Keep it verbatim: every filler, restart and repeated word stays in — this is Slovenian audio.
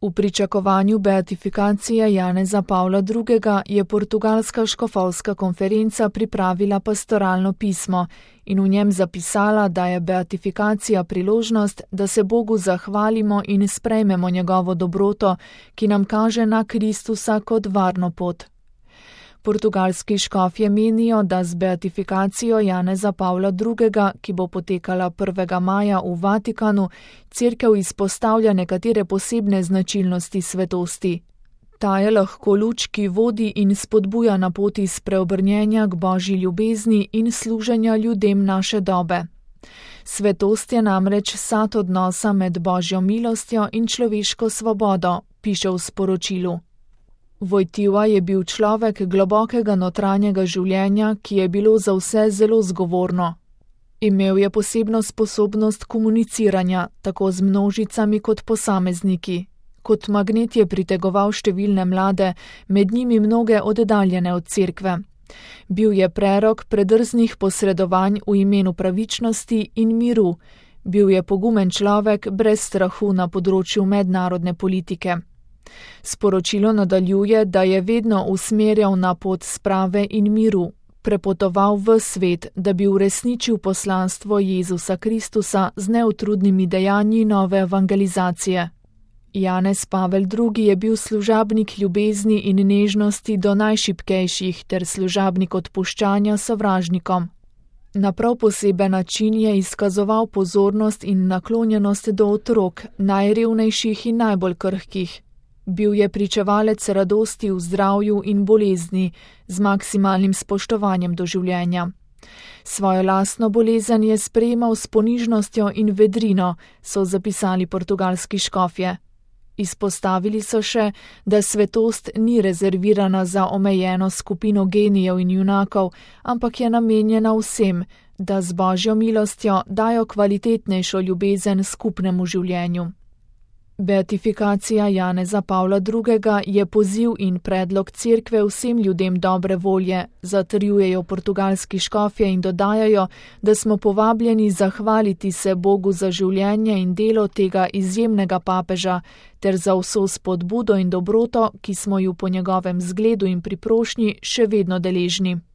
V pričakovanju beatifikacije Janeza Pavla drugega je portugalska škofovska konferenca pripravila pastoralno pismo in v njem zapisala, da je beatifikacija priložnost, da se Bogu zahvalimo in sprejmemo njegovo dobroto, ki nam kaže na Kristusa kot varno pot. Portugalski škofje menijo, da z beatifikacijo Janeza Pavla drugega, ki bo potekala prvega maja v Vatikanu, Cerkev izpostavlja nekatere posebne značilnosti svetosti. Ta je lahko luč, ki vodi in spodbuja na poti spreobrnjenja k Božji ljubezni in služenja ljudem naše dobe. Svetost je namreč sad odnosa med Božjo milostjo in človeško svobodo, piše v sporočilu. Wojtyła je bil človek globokega notranjega življenja, ki je bilo za vse zelo zgovorno. Imel je posebno sposobnost komuniciranja, tako z množicami kot posamezniki. Kot magnet je pritegoval številne mlade, med njimi mnoge oddaljene od cerkve. Bil je prerok predrznih posredovanj v imenu pravičnosti in miru. Bil je pogumen človek brez strahu na področju mednarodne politike. Sporočilo nadaljuje, da je vedno usmerjal na pot sprave in miru, prepotoval v svet, da bi uresničil poslanstvo Jezusa Kristusa z neutrudnimi dejanji nove evangelizacije. Janez Pavel drugi je bil služabnik ljubezni in nežnosti do najšibkejših ter služabnik odpuščanja sovražnikom. Na prav poseben način je izkazoval pozornost in naklonjenost do otrok, najrevnejših in najbolj krhkih. Bil je pričevalec radosti v zdravju in bolezni, z maksimalnim spoštovanjem do življenja. Svojo lastno bolezen je sprejemal s ponižnostjo in vedrino, so zapisali portugalski škofje. Izpostavili so še, da svetost ni rezervirana za omejeno skupino genijev in junakov, ampak je namenjena vsem, da z Božjo milostjo dajo kvalitetnejšo ljubezen skupnemu življenju. Beatifikacija Janeza Pavla drugega je poziv in predlog cerkve vsem ljudem dobre volje, zatrjujejo portugalski škofje in dodajajo, da smo povabljeni zahvaliti se Bogu za življenje in delo tega izjemnega papeža, ter za vso spodbudo in dobroto, ki smo ju po njegovem zgledu in priprošnji še vedno deležni.